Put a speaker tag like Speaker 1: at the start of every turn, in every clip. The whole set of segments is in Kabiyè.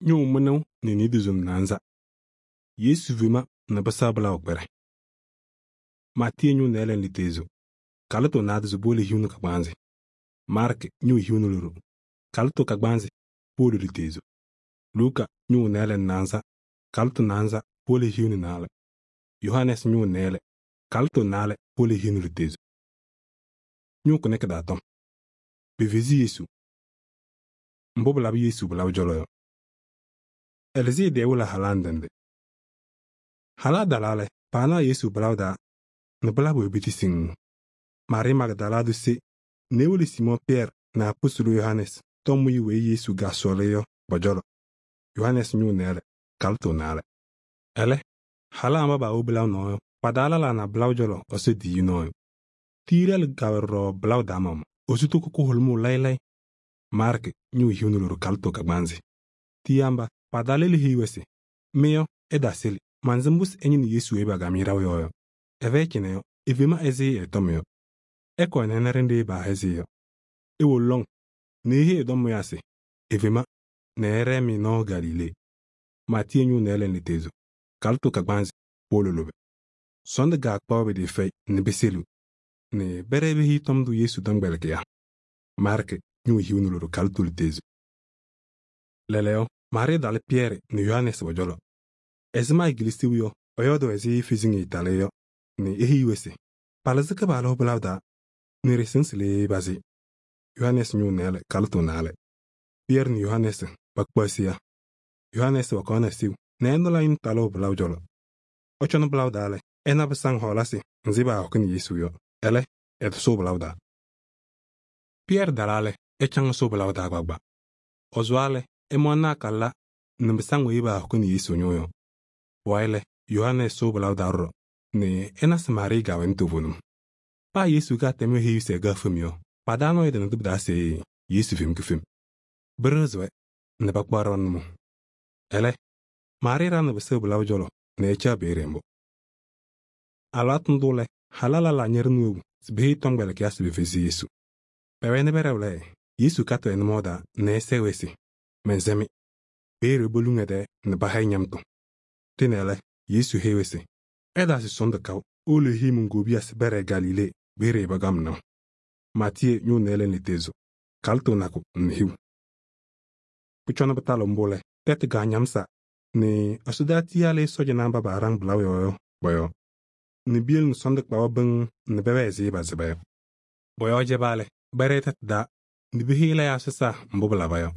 Speaker 1: ñʋʋ mɩnʋʋ nɛ nidizim naanza. Yesu fema nɛ pɩsɛɣ pɩlaʋ kpɛrɛ. Maatiyee ñʋʋ nɩɩlɛ nɛ litezo. Kalɩtʋ naadozo powolo hiu nɛ kagbaanzɩ. Maarkɩ ñʋʋ hiu nɛ loɖo. Kalɩtʋ kagbaanzɩ powolo litezo. Luuka ñʋʋ nɩɩlɛ nɛ naanza. Kalɩtʋ naanza powolo hiu nɛ naalɛ. Yohanɛɛsɩ ñʋʋ nɩɩlɛ. Kalɩtʋ naalɛ powolo hiu nɛ litezo. Ñʋʋ kʋnɛ kɩ-taa tɔm. Pefezi Yesu. Mbʋ pɩlabɩ Yesu pɩlabɩ cɔlɔ yɔ. Ɛlɩzɩyɛ wɩlɩ halaa ndɩ ndɩ. Halaa talaa lɛ, paanaɣ Yesu pɩlaʋ taa nɛ pɩlabɩ-wɛ biti siŋŋ. Maarɩɩ Magdala tʋ se nɛ ewolo Siimɔɔ Pɩyɛɛrɩ nɛ apostolo Yohanɛɛsɩ tɔm wiye weyi Yesu kaasɔɔlɩ yɔ pɔ-cɔlɔ. Yohanɛɛsɩ ñʋʋ nɩɩlɛ, kalɩtʋ naalɛ. Ɛlɛ, halaa mba paawo pɩlaʋ nɔɔ yɔ, pa-taa lɛlaa na pɩlaʋ cɔlɔ Ɛsɔ tiyiyu nɔɔyʋ. Tiyi-ɖɛlɩ kawɛ ɖɔɖɔ pɩlaʋ taa maɣmaɣ. Ɛsɔ toko kʋhʋlʋmʋʋ layɩ layɩ. Maarkɩ ñʋʋ hiu nɛ loɖo kalɩtʋ kagbaanzɩ. Tiyiyaa mba, pa-taa lɛlʋ heyi-wɛ se: mɩ yɔ, ɩtaasɩlɩ. Mansɩm mbʋ se ɩñɩnɩ Yesu weyi pakam-ɩ ɖaʋ yɔɔ yɔ. Ɛfɛyɩ cɩnɛ yɔ, efema ɛzɩ ɛ-tɔm yɔ. Ɩkɔɔ nɛ ɩna ɖenɖe paahɛzɩ yɔ. Iwolo lɔŋ nɛ eheyi ɛ-tɔmʋyaa se efema nɛ ɛɖɛɛ-mɩ nɔɔ Galilee. Maatiyee ñʋʋ nɩɩlɛ nɛ litezo. Kalɩtʋ kagbaanzɩ powolo lʋbɛ. Sɔɔndʋ gaakpaɣ pɩtɩɩfɛyɩ nɛ pɩsɛlɩɣ nɛ pɛɖɛɛ pehiyi tɔm ndʋ Yesu tɔmkpɛlɩkɩyaa. Maarkɩ ñʋʋ hiu nɛ loɖo kalɩtʋ litezo. Lɛɛlɛɛyɔ, Maarɩɩ talɩ Pɩyɛɛrɩ nɛ Yohanɛɛsɩ pɔ-cɔlɔ. Ɛzɩma ekilisiyu yɔ, ɛyɔɔdʋʋ ɛzɩ feziŋ talɩ yɔ nɛ eheyi-wɛ se palɩzɩ Kɩpaɣlʋ pɩlaʋ taa nɛ ɖɩsɩm se le pazɩ. Yohanɛɛsɩ ñʋʋ nɩɩlɛ, kalɩtʋ naalɛ. Pɩyɛɛrɩ nɛ Yohanɛɛsɩ pakpaɣ seya. Yohanɛɛsɩ pakaɣnɩ sew nɛ ɛnʋla yʋn talʋʋ pɩlaʋ cɔlɔ. Ɔcɔnɩ pɩlaʋ taa lɛ, ɛna pɩsaŋ hɔɔlasɩ nzɩ paahɔkɩnɩ Yesu yɔ. Ɛlɛ, ɛtɔsʋʋ pɩlaʋ taa. Pɩyɛɛrɩ talaa lɛ, ɛcaŋ ɛsʋʋ pɩlaʋ taa gbaagba. Ɔsʋwaa lɛ, ɛmaɣnɩ akala nɛ pɩsaŋ weyi paahɔkɩnɩ Yesu ñʋʋ yɔ. Pʋwayɩ lɛ, Yohanɛɛsɩ sʋʋ pɩlaʋ taa ɖɔɖɔ nɛ ɛna se Maarɩɩ kɛwɛnɩ toovenim. Paa Yesu katɛm eheyi se ɛkɛ fem yɔ, pa-taa nɔɔyʋ tɩnɩ tɩ pɩ-taa se Yesu fem kɩfem. Pɩɖɩɣzɩ-wɛ nɛ pakpaɣ ɖɔɖɔ nʋmɔʋ. Ɛlɛ, Maarɩɩ ɖaŋnɩ pɩsɩɣ pɩlaʋ cɔlɔ nɛ ɛcaɣ peeye mbʋ. Alɩwaatʋ ndʋ lɛ, halaa lɛlaa ñɛɖɛnɩ wobu se peheyi tɔmkpɛlɩkɩyaa se pefezi Yesu. Pɛwɛnɩ pɛɖɛʋ lɛ, Yesu katɩ ɛ-nʋmɔʋ taa nɛ ɛsɛɛ-wɛ se mɛnsɛ-mɩ. Peeye poluŋ ɛ-tɛɛ nɛ pahayɩ ñamtʋ. Tɩnɛ lɛ, Yesu heyi-wɛ se ɩtaasɩ sɔɔndʋ kaʋ, owolo eheyi mon-kobiya se pɛɖɛɛ Galilee peeye pakam naʋ. Maatiyee ñʋʋ nɩɩlɛ nɛ litezo. Kalɩtʋ nakʋ nɛ hiu. Pʋcɔ nɛ pɩtalɩ mbʋ lɛ, tɛtʋ kaañamsa nɛ ɛsɔdaa tiyaalɩ sɔɔjanaa mba paaɖaŋ pɩlaʋ yɔɔ yɔ pɔ-yɔɔ. Nɛ biyel nɛ sɔɔndʋ kpa-wɛ bɩŋ nɛ pɛwɛɛ ɛzɩ pasɩba yɔ. Bɔ-yɔɔ jɛbaa lɛ, pɛɖɛɛ tɛtʋ taa nɛ peheyi lɛyaa sɔsaa mbʋ pɩlaba yɔ.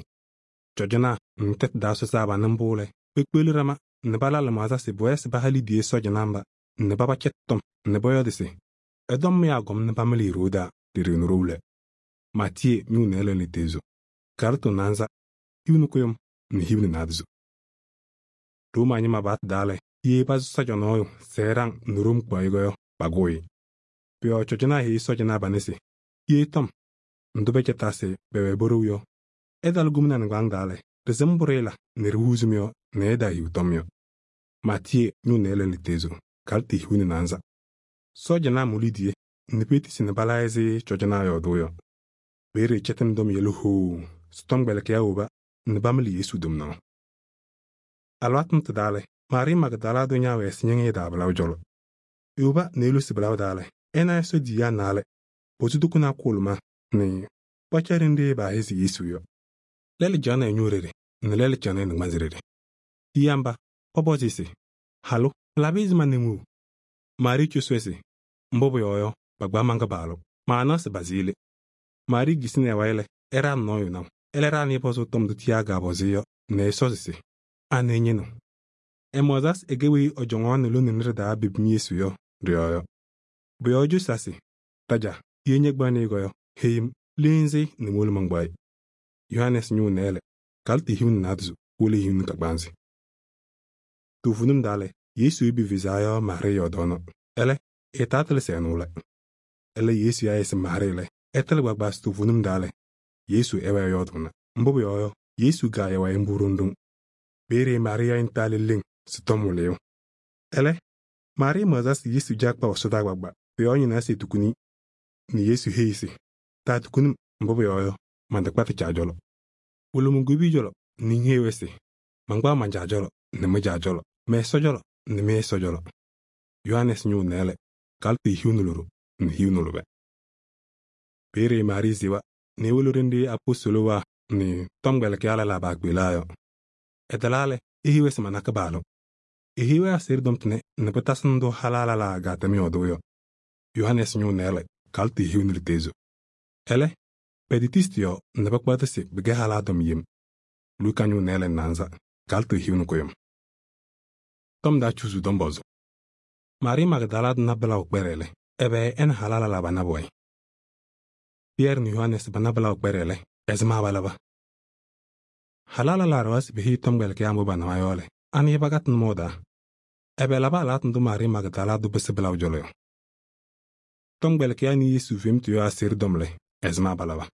Speaker 1: Cɔjɔnaa nɛ tɛtʋ taa sɔsaa panɩ mbʋ lɛ, pekpeɣli ɖama nɛ pala lɩmaɣza se pʋwɛɛ se paha liidiye sɔɔjanaa mba nɛ paba cɛtɩ tɔm nɛ pɔyɔɔdɩ se ɛ-tɔmʋyaa gɔm nɛ pamɩlɩ ɖoo daa ɖe-ɖeɣnu ɖou lɛ. Maatiyee ñʋʋ nɩɩlɛ nɛ litezo. Kalɩtʋ naanza, hiu nɛ kʋyʋm nɛ hiu nɛ naadozo. Rooma ñɩma paɣtʋ daa lɛ, ye pasʋ sɔɔja nɔɔyʋ se ɛɖaŋ nɛ Room kpaɣ-ɩ yɔ, pakʋʋ-ɩ. Pʋ-yɔɔ cɔjɔnaa heyi sɔɔjanaa panɛ se ye tɔm ndʋ pɛcɛtaa se pɛwɛɛ po-ɖou yɔ, ɛtalɩ gomna nɩŋgbaaŋ taa lɛ, ɖɩsɩm mbʋ ɖɩɩla nɛ ɖihuuzim yɔ nɛ ɛtaahiu tɔm yɔ. Maatiyee ñʋʋ nɩɩlɛ nɛ litezo. Kalɩtʋ hiu nɛ naanza. Sɔɔjanaa mʋ liidiye nɛ petisi nɛ pala ɛzɩ cɔjɔnaa yɔɔdʋʋ yɔ. Peeye cɛtɩnɩ dɔm yɛlɛ hoo se tɔmkpɛlɩkɩyaa woba nɛ pamɩlɩ Yesu tomnaɣ. Alɩwaatʋ ndʋ tɩ-taa lɛ, Maarɩɩ Magdala tʋ ñaawɛ ɛsɩñɩŋɩyɛ taa pɩlaʋ cɔlɔ. Ewoba nɛ elosi pɩlaʋ taa lɛ, ɛna Ɛsɔ tiyiyaa naalɛ, posu tokonaa kʋʋlʋma nɛ pɔcɛ ɖenɖe paahɛzɩ Yesu yɔ. Lɛlʋ caɣnɩ ɛ-ñʋʋ ɖeɖe nɛ lɛlʋ caɣnɩ ɛ-nɩŋgbanzɩ ɖeɖe. Tiyiyaa mba, pɔpɔzɩ se halʋ, pɩlabɩ ɛzɩma nɛ ŋu? Maarɩɩ cosi-wɛ se mbʋ pʋyɔɔ yɔ, pakpaɣ man-Kɩpaɣlʋ, maanaɣ se bazɩ le. Maarɩɩ kisini ɛ-wayɩ lɛ, ɛɖaɣnɩ nɔɔyʋ naʋ. Ɛlɛ ɖaɣnɩ pɔzʋʋ tɔm ndʋ tiyaa kaapɔzɩ yɔ nɛ ɛsɔzɩ se anɩ ɩñɩnɩɣ. Ɛmaɣza se ɛkɛ weyi ɔjɔŋaɣnɩ lone nɩ ɖɩ-taa bebim Yesu yɔ ɖɩ-yɔɔ yɔ. Pʋ-yɔɔ ecosi-a se taja, ye ñɛkpaɣnɩ-ɩ yɔ, heyi-m, leenzi nɛ mowolo mankpaɣ-ɩ. Yohanɛɛsɩ ñʋʋ nɩɩlɛ, kalɩtʋ hiu nɛ naadozo powolo hiu nɛ kagbaanzɩ. Toovenim daa lɛ, Yesu weyi pefezaa yɔ Maarɩɩ yɔɔdɔɔnɔ. Ɛlɛ, ɩɩtaa tɩlɩ se ɛnʋ lɛ. Ɛlɛ Yesu ya-ɩ se Maarɩɩ lɛ, ɛtɩlɩ gbaagba se toovenim daa lɛ, Yesu ɛwɛɛ yɔɔdʋʋna. Mbʋ pʋyɔɔ yɔ, Yesu gaayɛ wayɩ mbʋ ɖoŋ ɖoŋ. Peeye Maarɩɩ ya-ɩ ntaale leŋ se tɔm wɩlɩyʋ. Ɛlɛ, Maarɩɩ maɣza se Yesu dza kpaɣ ɛsɔdaa gbaagba. Pʋ-yɔɔ nyɩnaa se tukuni nɛ Yesu heyi se taatukunim, mbʋ pʋyɔɔ yɔ, mantakpa tɩ Caa cɔlɔ. Wolo mon-kobiyi cɔlɔ nɛ ŋheyi-wɛ se mankpaɣ man-Caa cɔlɔ nɛ mɩ-Caa cɔlɔ, mɛ-Ɛsɔ cɔlɔ nɛ mɩ-Ɛsɔ cɔlɔ. Yohanɛɛsɩ ñʋʋ nɛɛlɛ, kalɩtʋ hiu nɛ loɖo nɛ hiu nɛ lʋbɛ. Peeye Maarii sewa nɛ ewolo ɖenɖe apostolowaa nɛ tɔmkpɛlɩkɩyaa lɛlaa paakpeɣlaa yɔ. Ɛtalaa lɛ, eheyi-wɛ se mana Kɩpaɣlʋ. Eheyi-wɛ aseɣɖe tɔm tʋnɛ nɛ pɩtasɩ ndʋ halaa lɛlaa kaatɛm yɔɔdʋʋ yɔ. Yohanɛɛsɩ ñʋʋ nɛɛlɛ, kalɩtʋ hiu nɛ lutezo. Ɛlɛ, pɛtɩtɩsɩ tɩ-yɔɔ nɛ pakpaɣ-tʋ se pɩkɛ halaa tɔm yem. Luka ñʋʋ nɛɛlɛ nɛ naanza, kalɩtʋ hiu nɛ kʋyʋm. Tɔm taa cuzuu tɔm pɔzʋ. Maarii Magdala tʋ na pɩlaʋ kpɛɖɛ lɛ, ɛbɛ ɛ nɛ halaa lɛlaa pana pʋwɛɛ? Pɩyɛɛrɩ nɛ Yohanɛɛsɩ pana pɩlaʋ kpɛɖɛ lɛ, ɛzɩma palaba? Halaa lɛlaa ɖɔwa se peheyi tɔmkpɛlɩkɩyaa mbʋ panawa yɔ lɛ, anɩ pakatɩ nʋmɔʋ taa? Ɛbɛ laba alɩwaatʋ ndʋ Maarii Magdala tʋ pɩsɩ pɩlaʋ cɔlɔ yɔ? Tɔmkpɛlɩkɩyaa nɩ Yesu femtʋ yɔɔ aseɣɖe tɔm lɛ, ɛzɩma palaba?